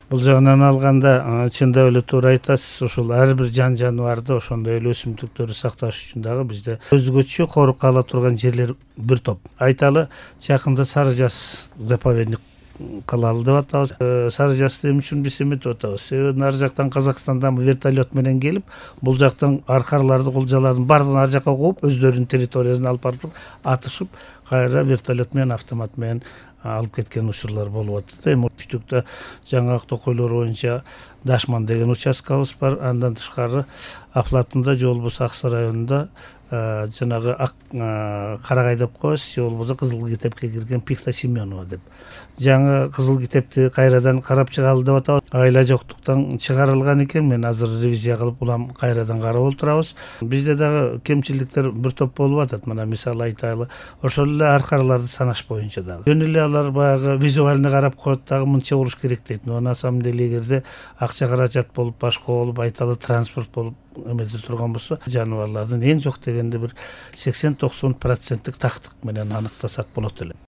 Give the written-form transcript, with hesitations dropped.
Бул жагынан алганда чындап эле туура айтасыз. Ушул ар бир жан жаныбарды, ошондой эле өсүмдүктөрдү сакташ үчүн дагы бизде өзгөчө коруп кала турган жерлер бир топ. Айталы, жакында Сары Жаз заповедник кылалы деп атабыз. Сары Жазды эмне үчүн биз эметип атабыз? Себеби ар жактан Казакстандан вертолет менен келип, бул жактан аркарларды, кулжалардын баардыгын ар жакка кууп, өздөрүнүн территориясына алып барып атышып, кайра вертолет менен, автомат менен алып кеткен учурлар болуп атат. Эми Үчтүктө жаңы токойлор боюнча Дашман деген участкабыз бар. Андан тышкары Афлатунда же болбосо Аксы районунда жанагы Карагай деп коебуз, же болбосо Кызыл китепке кирген Пихта Семенова деп. Жаңы Кызыл китепти кайрадан карап чыгалы деп атабыз. Айла жоктуктан чыгарылган экен. Мен азыр ревизия кылып, улам кайрадан карап отурабыз. Бизде дагы кемчиликтер бир топ болуп атат. Мына мисалы айтайлы, ошол эле аркарларды санаш боюнча дагы. Жөн эле алар баягы визуально карап коет дагы мынча уруш керек дейт. Но на самом деле эгерде акча каражат болуп, башка болуп, айталы транспорт болуп эмете турган болсо, жаныбарлардын эң жок дегенде бир 80-90% тактык менен аныктасак болот эле.